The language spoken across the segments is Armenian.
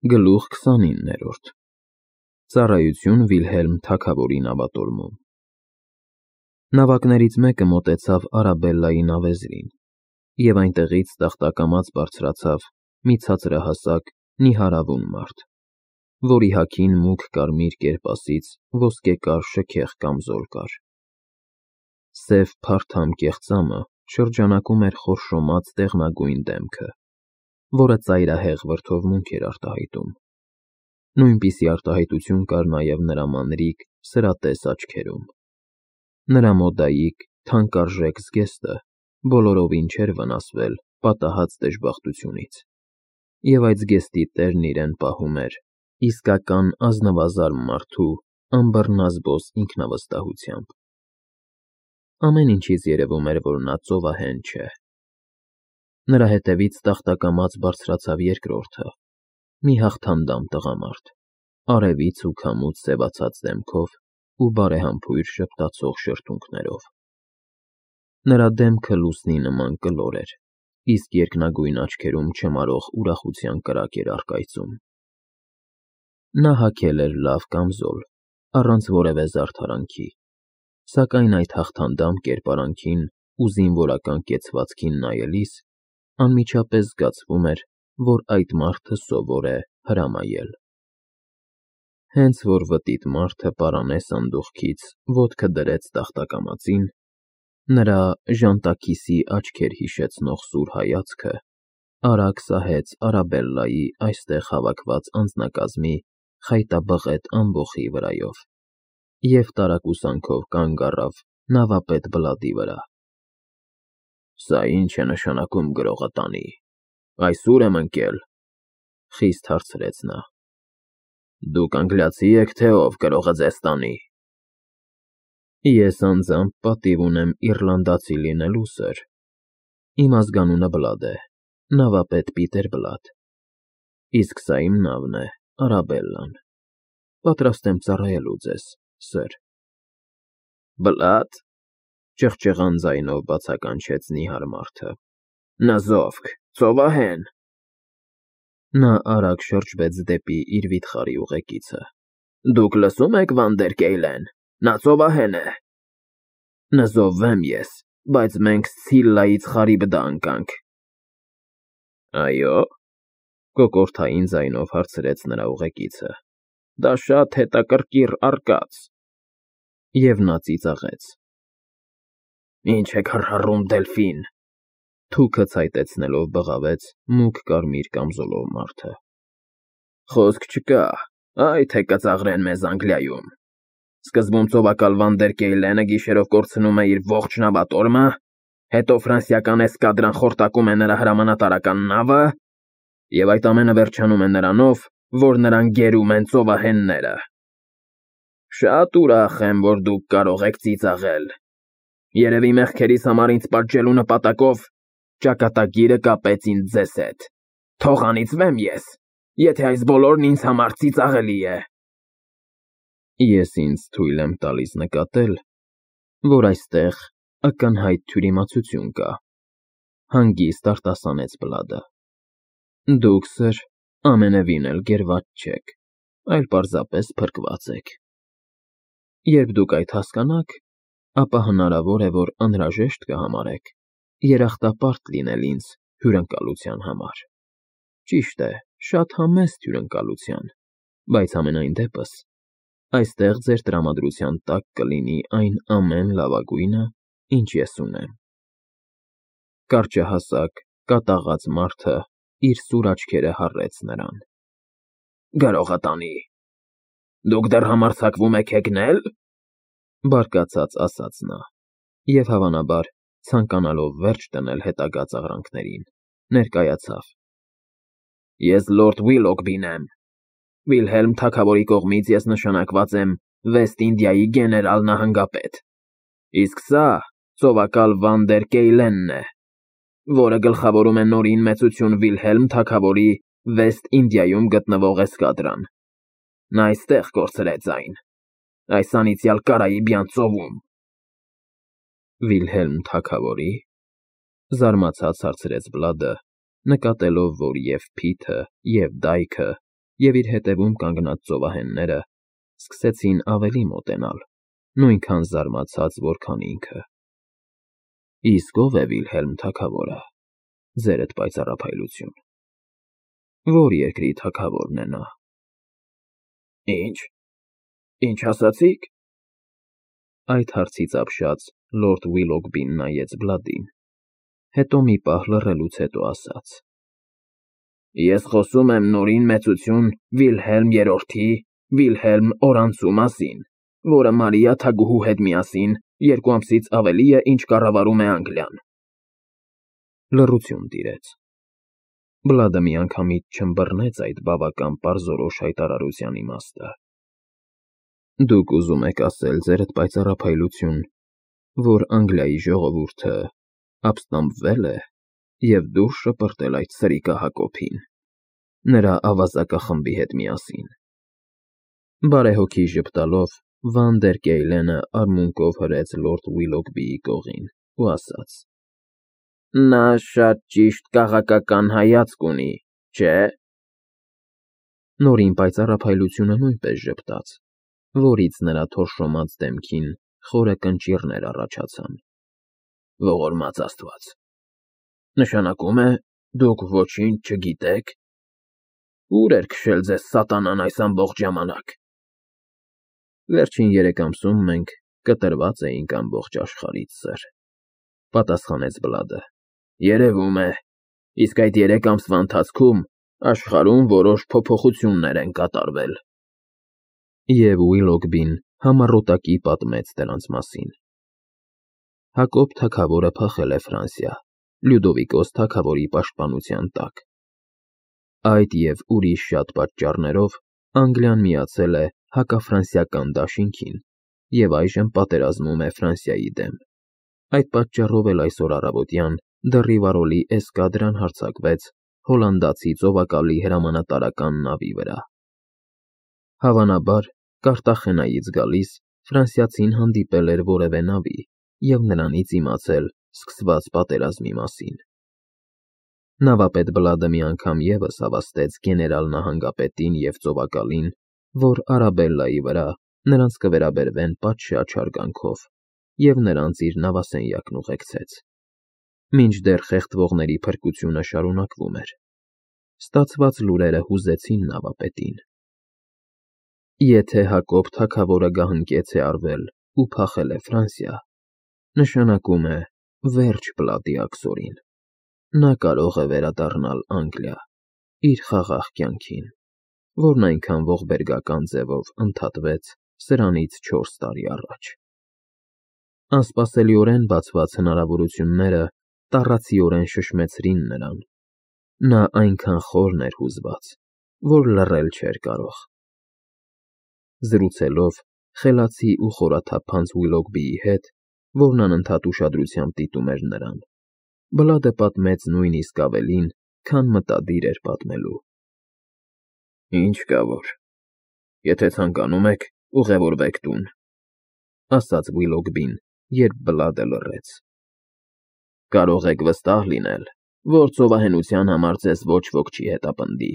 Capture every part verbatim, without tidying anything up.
Գլուխ քսանիններորդ Ծառայություն Վիլհելմ թագավորի նավատորմում Նավակներից մեկը մոտեցավ Արաբելլայի նավեզրին, և այնտեղից տախտակամած բարձրացավ մի ցածրահասակ, նիհարավուն մարդ, որի հագին մուգ կարմիր կերպասից ոսկեկար շքեղ կամզոլ կար։ Սև փարթամ կեղծամը շրջանակում էր խորշոմած դեղնագույն դեմքը, որը ծայրահեղ վրդովմունք էր արտահայտում։ Նույնպիսի արտահայտություն կար նաև նրա մանրիկ, սրատես աչքերում։ Նրա մոդայիկ, թանկարժեք զգեստը բոլորովին չէր վնասվել պատահած դժբախտությունից, և այդ զգեստի տերն իրեն պահում էր իսկական ազնվազարմ մարդու անբռնազբոս ինքնավստահությամբ։ Ամեն ինչից երևում էր, որ նա ծովահեն չէ։ Նրա հետևից տախտակամած բարձրացավ երկրորդը, մի հաղթանդամ տղամարդ, արևից ու քամուց սևացած դեմքով ու բարեհամբույր ժպտացող շրթունքներով։ Նրա դեմքը լուսնի նման կլոր էր, իսկ երկնագույն աչքերում չմարող ուրախության կրակ էր առկայծում։ Նա հագել էր լավ կամզոլ, առանց որևէ զարդարանքի, սակայն այդ հաղթանդամ կերպարանքին ու զինվորական կեցվածքին նայելիս անմիջապես զգացվում էր, որ այդ մարդը սովոր է հրամայել։ Հենց որ վտիտ մարդը պարանե սանդուղքից ոտքը դրեց տախտակամածին, նրա ժանտաքիսի աչքեր հիշեցնող սուր հայացքը արագ սահեց Արաբելլայի այստեղ հավաքված անձնակազմի խայտաբղետ ամբոխի վրայով և տարակուսանքով կանգ առավ նավապետ Բլադի վրա։ «Սա ի՞նչ է նշանակում, գրողատանի, այս ո՞ւր եմ ընկել,֊ խիստ հարցրեց նա։ Դուք անգլիացի՞ եք, թե ով գրողը ձեզ տանի։ Ես անձամբ պատիվ ունեմ իռլանդացի լինելու, սըր։ Իմ ազգանունը Բլադ է, նավապետ Պիտեր Բլադ, իսկ սա իմ նավն է, Արաբելլան, պատրաստ եմ ծառայելու ձեզ, սըր։ Բլա՞դ,֊ ճղճղան ձայնով բացականչեց նիհար մարդը, նզովք, ծովահեն։ Նա արագ շրջվեց դեպի իր վիթխարի ուղեկիցը։ Դուք լսո՞ւմ եք, Վանդերկեյլեն, նա ծովահեն է։ Նզովվեմ ես, բայց մենք Սցիլլայից Խարիբդա ընկանք։ Այո՞, կոկորդային ձայնով հարցրեց նրա ուղեկիցը։ Դա շատ հետաքրքիր արկած։ Եվ նա ծիծաղեց։ Ինչ եք հռհռում, Դելֆին,֊ թուքը ցայտեցնելով բղավեց մուգ կարմիր կամզոլով մարդը։ Խոսք չկա, այ թե կծաղրեն մեզ Անգլիայում։ Սկզբում ծովակալ Վանդերկեյլենը գիշերով կորցնում է իր ողջ նավատորմը, հետո ֆրանսիական էսկադրան խորտակում է նրա հրամանատարական նավը, և այդ ամենը վերջանում է նրանով, որ նրան գերում են ծովահենները։ Շատ ուրախ եմ, որ դուք կարող եք ծիծաղել։ Երևի մեղքերիս համար ինձ պատժելու նպատակով ճակատագիրը կապեց ինձ ձեզ հետ։ Թող անիծվեմ ես, եթե այս բոլորն ինձ համար ծիծաղելի է։ Ես ինձ թույլ եմ տալիս նկատել, որ այստեղ ակնհայտ թյուրիմացություն կա, հանգիստ արտասանեց Բլադը։ Դուք, սըր, ամենևին էլ գերված չեք, այլ պարզապես փրկված եք։ Երբ դուք այդ հասկանաք, ապա հնարավոր է, որ անհրաժեշտ կհամարեք երախտապարտ լինել ինձ հյուրընկալության համար։ Ճիշտ է, շատ համեստ հյուրընկալության, բայց համենայն դեպս այստեղ ձեր տրամադրության տակ կլինի այն ամեն լավագույնը, ինչ ես ունեմ։ Կարճահասակ, կատաղած մարդը իր սուր աչքերը հառեց նրան։ Գրողատանի, դուք դեռ համարձակվում եք հեգնել,֊ բարկացած ասաց նա, և հավանաբար, ցանկանալով վերջ դնել հետագա ծաղրանքներին, ներկայացավ։ Ես լորդ Վիլոկբին եմ։ Վիլհելմ թագավորի կողմից ես նշանակված եմ Վեստ Ինդիայի գեներալ նահանգապետ, իսկ սա ծովակալ Վանդերկեյլենն է, որը գլխավորում է Նորին մեծություն Վիլհելմ թագավորի Վեստ Ինդիայում գտնվող էսկադրան։ Նա այստեղ կորցրեց այն, այս անիծյալ Կարաիբյան ծովում։ Վիլհելմ թագավորի՞, զարմացած հարցրեց Բլադը, նկատելով, որ և փիթը, և դայքը, և իր հետևում կանգնած ծովահենները սկսեցին ավելի մոտենալ, նույնքան զարմացած, որքան ինքը։ Իսկ ո՞վ է Վիլհելմ թագավորը, ձերդ պայծառափայլություն։ Ո՞ր երկրի թագավորն է նա։ Ինչ, ինչ ասացիք։ Այդ հարցից ապշած լորդ Վիլոգբին նայեց Բլադին, հետո մի պահ լռելուց հետո ասաց. Ես խոսում եմ Նորին մեծություն Վիլհելմ երրորդի, Վիլհելմ Օրանցու մասին, որը Մարիա թագուհու հետ միասին երկու ամսից ավելի է, ինչ կառավարում է Անգլիան։ Լռություն տիրեց։ Բլադը միանգամից չըմբռնեց այդ բավական պարզորոշ հայտարարության իմաստը։ Դուք ուզում եք ասել, ձերդ պայծառափայլություն, որ Անգլիայի ժողովուրդը ապստամբվել է և դուրս շպրտել այդ սրիկա Հակոբին, նրա ավազակախմբի հետ միասին։ Բարեհոգի ժպտալով Վան դեր Կեյլենը արմունկով հրեց լորդ Վիլոգբիի կողին ու ասաց. Նա շատ ճիշտ քաղաքական հայացք ունի, չէ՞։ Նորին պայծառափայլությունը նույնպես ժպտաց, որից նրա թորշոմած դեմքին խորը կնճիռներ առաջացան։ Ողորմած Աստված։ Նշանակում է, դուք ոչինչ չգիտեք։ Ուր էր քշել ձեզ սատանան այս ամբողջ ժամանակ։ Վերջին երեք ամսում մենք կտրված էինք ամբողջ աշխարհից, սըր, պատասխանեց Բլադը։ Երևում է, իսկ այդ երեք ամսվա ընթացքում աշխարհում որոշ փոփոխություններ են կատարվել։ Եվ Վիլոգբին համառոտակի պատմեց դրանց մասին։ Հակոբ թագավորը փախել է Ֆրանսիա, Լյուդովիկոս թագավորի պաշտպանության տակ։ Այդ և ուրիշ շատ պատճառներով Անգլիան միացել է հակաֆրանսիական դաշինքին և այժմ պատերազմում է Ֆրանսիայի դեմ։ Այդ պատճառով էլ այսօր առավոտյան դեռիվարոլի էսկադրան հարձակվեց հոլանդացի ծովակալի հրամանատարական նավի վրա։ Հավանաբար, Կարտախենայից գալիս ֆրանսիացին հանդիպել էր որևէ նավի և նրանից իմացել սկսված պատերազմի մասին։ Նավապետ Բլադը մի անգամ ևս հավաստեց գեներալ նահանգապետին և ծովակալին, որ Արաբելլայի վրա նրանց կվերաբերվեն պատշաճ հարգանքով, և նրանց իր նավասենյակն ուղեկցեց։ Մինչդեռ խեղդվողների փրկությունը շարունակվում էր։ Ստացված լուրերը հուզեցին նավապետին։ Եթե Հակոբ թագավորը գահընկեց է արվել ու փախել է Ֆրանսիա, նշանակում է վերջ Բլադի աքսորին։ Նա կարող է վերադառնալ Անգլիա, իր խաղաղ կյանքին, որն այնքան ողբերգական ձևով ընդհատվեց սրանից չորս տարի առաջ։ Անսպասելիորեն բացված հնարավորությունները տառացիորեն շշմեցրին նրան։ Նա այնքան խորն էր հուզված, որ լռել չէր կարող։ Զրուցելով խելացի ու խորաթափանց Վիլոգբիի հետ, որն անընդհատ ուշադրությամբ դիտում էր նրան, Բլադը պատմեց նույնիսկ ավելին, քան մտադիր էր պատմելու։ Ինչ կա որ, եթե ցանկանում եք, ուղևորվեք տուն, ասաց Վիլոգբին, երբ Բլադը լռեց։ Կարող եք վստահ լինել, որ ծովահենության համար ձեզ ոչ ոք չի հետապնդի,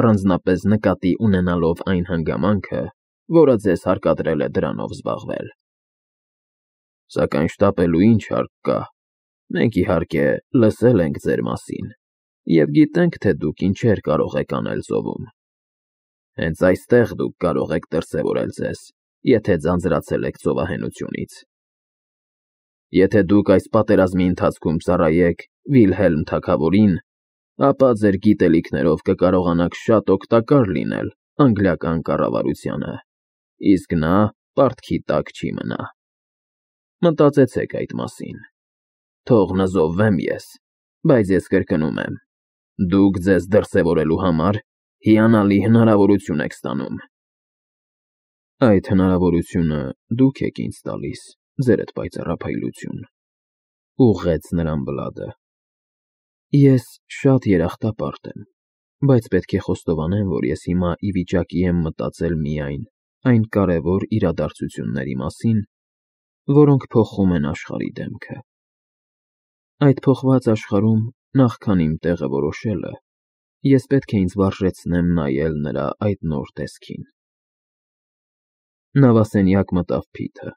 առանձնապես նկատի ունենալով այն հանգամանքը, որը ձեզ հարկադրել է դրանով զբաղվել։ Սակայն շտապելու ինչ հարկ կա։ Մենք, իհարկե, լսել ենք ձեր մասին և գիտենք, թե դուք ինչեր կարող եք անել ծովում։ Հենց այստեղ դուք կարող եք դրսևորել ձեզ, եթե ձանձրացել եք ծովահենությունից։ Եթե դուք այս պատերազմի ընթացքում ծառայեք Վիլհելմ թագավորին, ապա ձեր գիտելիքներով կկարողանաք շատ օգտակար լինել անգլիական կառավարությանը, իսկ նա պարտքի տակ չի մնա։ Մտածեցեք այդ մասին։ Թող նզովվեմ ես, բայց ես կրկնում եմ, դուք ձեզ դրսևորելու համար հիանալի հնարավորություն եք ստանում։ Այդ հնարավորությունը դուք եք ինձ տալիս, ձերդ պայծառափայլություն, ուղղեց նրան Բլադը։ Ես շատ երախտապարտ եմ, բայց պետք է խոստովանեմ, որ ես հիմա ի վիճակի եմ մտածել միայն այն կարևոր իրադարձությունների մասին, որոնք փոխում են աշխարհի դեմքը։ Այդ փոխված աշխարհում նախքան իմ տեղը որոշելը, Ես պետք է ինձ վարժեցնեմ նայել նրա այդ նոր տեսքին։ Նավասենյակ մտավ Փիթը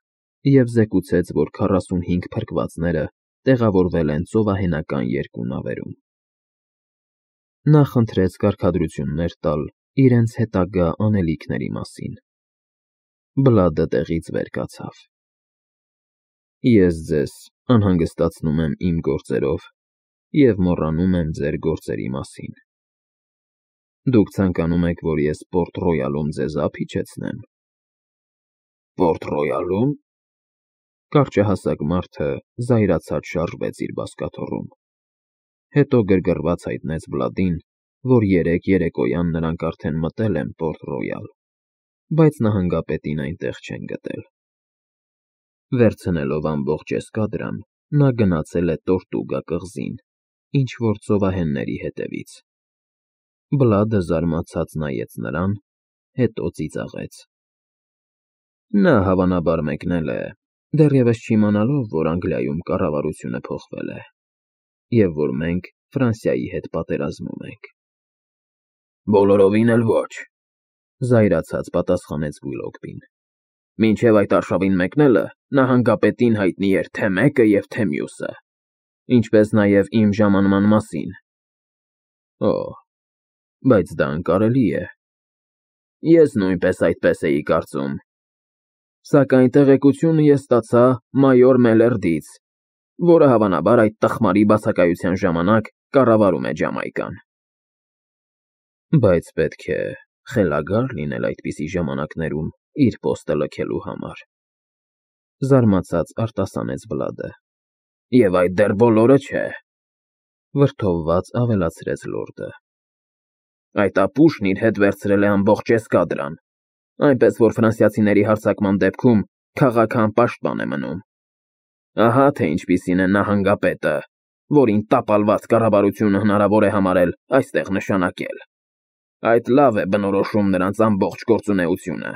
և զեկուցեց, որ քառասունհինգ փրկվածները տեղավորվել են ծովահենական երկու նավերում։ Նա խնդրեց կարգադրություններ տալ իրենց հետագա անելիքների մասին։ Բլադը տեղից վեր կացավ։ Ես ձեզ անհանգստացնում եմ իմ գործերով և մոռանում եմ ձեր գործերի մասին։ Դուք ցանկանում եք, որ ես Պորտ Ռոյալում ձեզ ափ իջեցնեմ։ Պորտ Ռոյալո՞ւմ։ Կարճահասակ մարդը զայրացած շարժվեց իր բազկաթոռում, հետո գրգռված հայտնեց Բլադին, որ երեկ երեկոյան նրանք արդեն մտել են Պորտ Ռոյալ, բայց նահանգապետին այնտեղ չեն գտել։ Վերցնելով ամբողջ էսկադրան, նա գնացել է Տորտուգա կղզին, ինչ֊որ ծովահենների հետևից։ Բլադը զարմացած նայեց նրան, հետո ծիծաղեց։ Նա հավանաբար մեկնել է, դեռևս չիմանալով, որ Անգլիայում կառավարությունը փոխվել է, և որ մենք Ֆրանսիայի հետ պատերազմում ենք։ Բոլորովին էլ ոչ, զայրացած պատասխանեց Վիլոկվին։ Մինչև այդ արշավին մեկնելը նահանգապետին հայտնի էր թե մեկը և թե մյուսը, ինչպես նաև իմ ժամանման մասին։ Օ, բայց դա անկարելի է։ Ես նույնպես այդպես էի կարծում։ Սակայն տեղեկությունը ես ստացա մայոր Մելերդից, որը հավանաբար այդ տխմարի բացակայության ժամանակ կառավարում է Ջամայկան։ Բայց պետք է խելագար լինել այդպիսի ժամանակներում իր պոստը լքելու համար, զարմացած արտասանեց Բլադը։ Եվ այդ դեռ բոլորը չէ, վրդովված ավելացրեց լորդը։ Այդ ապուշն իր հետ վերցրել է ամբողջ էսկադրան, այնպես որ ֆրանսիացիների հարձակման դեպքում քաղաքը անպաշտպան է մնում։ Ահա թե ինչպիսին է նահանգապետը, որին տապալված կառավարությունը հնարավոր է համարել այստեղ նշանակել։ Այդ լավ է բնորոշում նրանց ամբողջ գործունեությունը։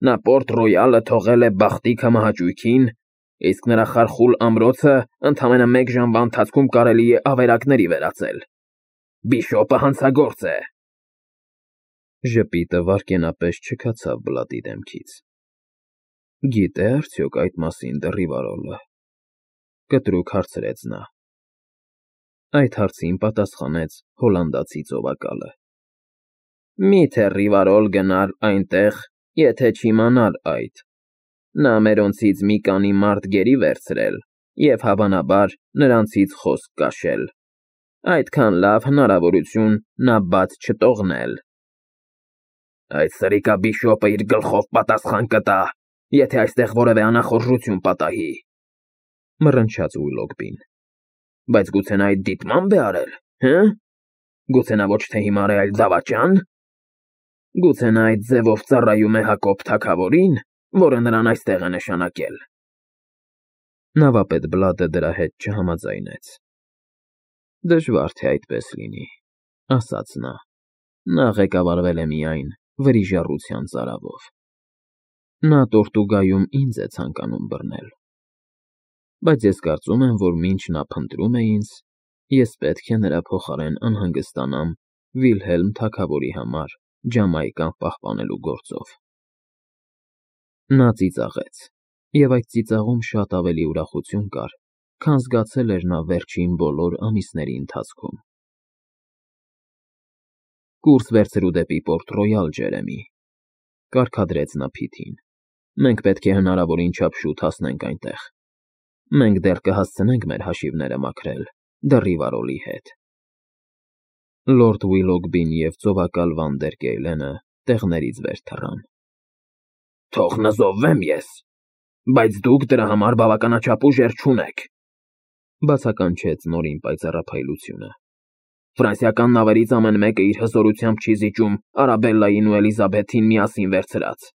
Նա Պորտ Ռոյալը թողել է բախտի քամահաճույքին, իսկ նրա խարխուլ ամրոցը ընդամենը մեկ ժամվա ընթացքում կարելի է ավերակների վերածել։ Բիշոպը հանցագործ է։ Ժպիտը վայրկենապես չքացավ Բլադի դեմքից։ Գիտե՞ արդյոք այդ մասին Դեռիվարոլը, կտրուկ հարցրեց նա։ Այդ հարցին պատասխանեց հոլանդացի ծովակալը։ Մի՞թե Ռիվարոլ գնար այնտեղ, եթե չիմանար այդ։ Նա մերոնցից մի քանի մարդ գերի վերցրել և հավանաբար նրանցից խոսք կաշել։ Այդքան լավ հնարավորություն նա բաց չտողնել։ Այդ սրիկա բիշոպը իր գլխով պատասխան կտա, եթե այստեղ որևէ անախորժություն պատահի, մռնչաց Ուիլոգբին։ Բայց գուցե նա այդ դիտմամբ է արել, հը՞։ Գուցե նա ոչ թե հիմար է, այլ դավաճա՞ն։ Գուցե նա այդ ձևով ծառայում է Հակոբ թագավորին, որը նրան այստեղ է նշանակել։ Նավապետ Բլադը դրա հետ չհամաձայնեց։ Դժվար թե այդպես լինի, ասաց նա։ Նա ղեկավարվել է միայն վրիժառության ծարավով։ Նա Տորտուգայում ինձ է ցանկանում բռնել։ Բայց ես կարծում եմ, որ մինչ նա փնտրում է ինձ, ես պետք է նրա փոխարեն անհանգստանամ Վիլհելմ թագավորի համար Ջամայկան պահպանելու գործով։ Նա ծիծաղեց, և այդ ծիծաղում շատ ավելի ուրախություն կար, քան զգացել էր նա վերջին բոլոր ամիսների ընթացքում։ Կուրս վերցրու դեպի Պորտ Ռոյալ, Ջերեմի, կարգադրեց նա Փիթին։ Մենք պետք է հնարավորին չափ շուտ հասնենք այնտեղ։ Մենք դեռ կհասցնենք մեր հաշիվները մաքրել Դեռիվարոլի հետ։ Լորդ Ուիլոգբին և ծովակալ Վանդերկեյլենը տեղներից վեր թռան։ Թող նզովվեմ ես, բայց դուք դրա համար բավականաչափ ուժեր չունեք, բացականչեց նորին պայծառափայլությունը։ Ֆրանսիական նավերից ամեն մեկը իր հզորությամբ չի զիջում Արաբելլային ու Էլիզաբեթին միասին վերցրած։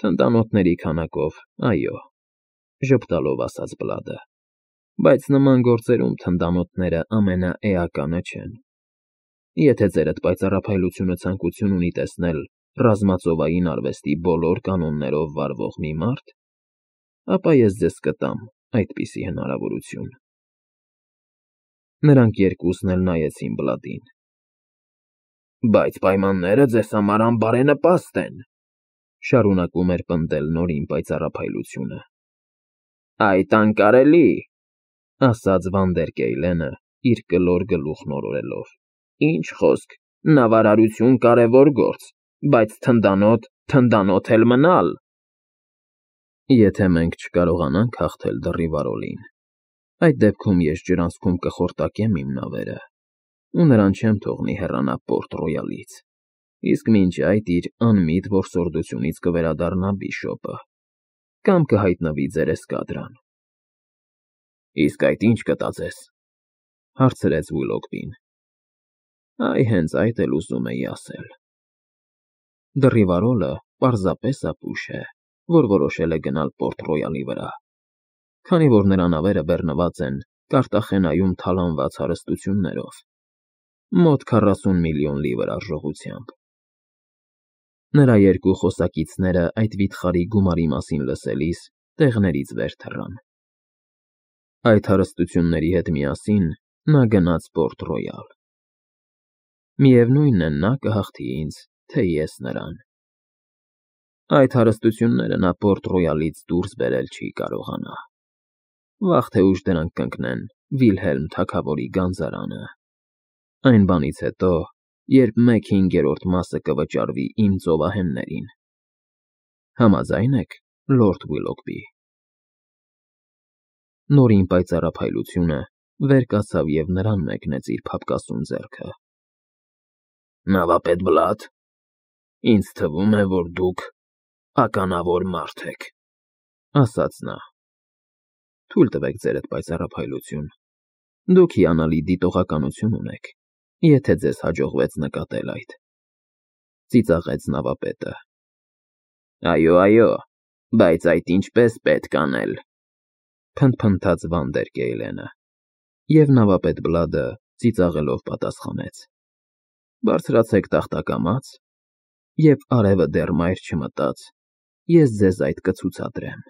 Թնդանոթների քանակով, այո, ժպտալով ասաց Բլադը, բայց նման գործերում թնդանոթները ամենաէականը չեն։ Եթե ձերդ պայծառափայլությունը ցանկություն ունի տեսնել ռազմածովային արվեստի բոլոր կանոններով վարվող մի մարդ, ապա ես ձեզ կտամ այդպիսի հնարավորություն։ Նրանք երկուսն էլ նայեցին Բլադին։ Բայց պայմանները ձեզ համար անբարենպաստ են, շարունակում էր պնդել Նորին պայծառափայլությունը։ Այդ անկարելի, ասաց Վանդերկեյլենը, իր կլոր գլուխն օրորելով։ Ինչ խոսք, նավարարություն կարևոր գործ, բայց թնդանոթ, թնդանոթ էլ մնալ։ Եթե մենք չկարողանանք հաղթել դռիվարոլին, այդ դեպքում ես ջրանցքում կխորտակեմ իմ նավերը, ու նրան չեմ թողնի հեռանա Պորտ Ռոյալից, իսկ մինչ այդ իր անմիտ որսորդությունից կվերադառնա Բիշոպը, կամ կհայտնվի ձեր էսկադրան։ Իսկ այդ ինչ կտա ձեզ, հարցրեց Ուիլոգբին։ Այ հենց այդ էլ ուզում էի ասել։ Դռիվարոլը պարզապես ապուշ է, որ որոշել է գնալ Պորտ Ռոյալի վրա, քանի որ նրա նավերը բեռնված են Կարտախենայում թալանված հարստություններով, մոտ քառասուն միլիոն լիվր արժողությամբ։ Նրա երկու խոսակիցները այդ վիթխարի գումարի մասին լսելիս տեղներից վեր թռան։ Այդ հարստությունների հետ միասին նա գնաց Պորտ Ռոյալ։ Միևնույն է, նա կհաղթի ինձ, թե ես նրան։ Այդ հարստությունները նա Պորտ Ռոյալից դուրս բերել չի կարողանա։ Վաղ թե ուշ դրանք կընկնեն Վիլհելմ թագավորի գանձարանը։ Այն բանից հետո, երբ մեկ հինգերորդ մասը կվճարվի իմ ծովահեններին։ Համաձա՞յն եք, լորդ Ուիլոգբի։ Նորին պայծառափայլությունը վեր կացավ և նրան մեկնեց իր փափկասուն ձեռքը։ Նավապետ Բլադ, ինձ թվում է, որ դուք ականավոր մարդ եք, ասաց նա։ Թույլ տվեք ձերդ պայծառափայլություն, դուք հիանալի դիտողականություն ունեք, եթե ձեզ հաջողվեց նկատել այդ, ծիծաղեց նավապետը։ Այո, այո, բայց այդ ինչպես պետք անել, փնթփնթաց Վանդերկեյլենը, և նավապետ Բլադը ծիծաղելով պատասխանեց. Բարձրացեք տախտակամաց, և արևը դեռ մայր չմտած, ես ձեզ այդ կցուցադրեմ։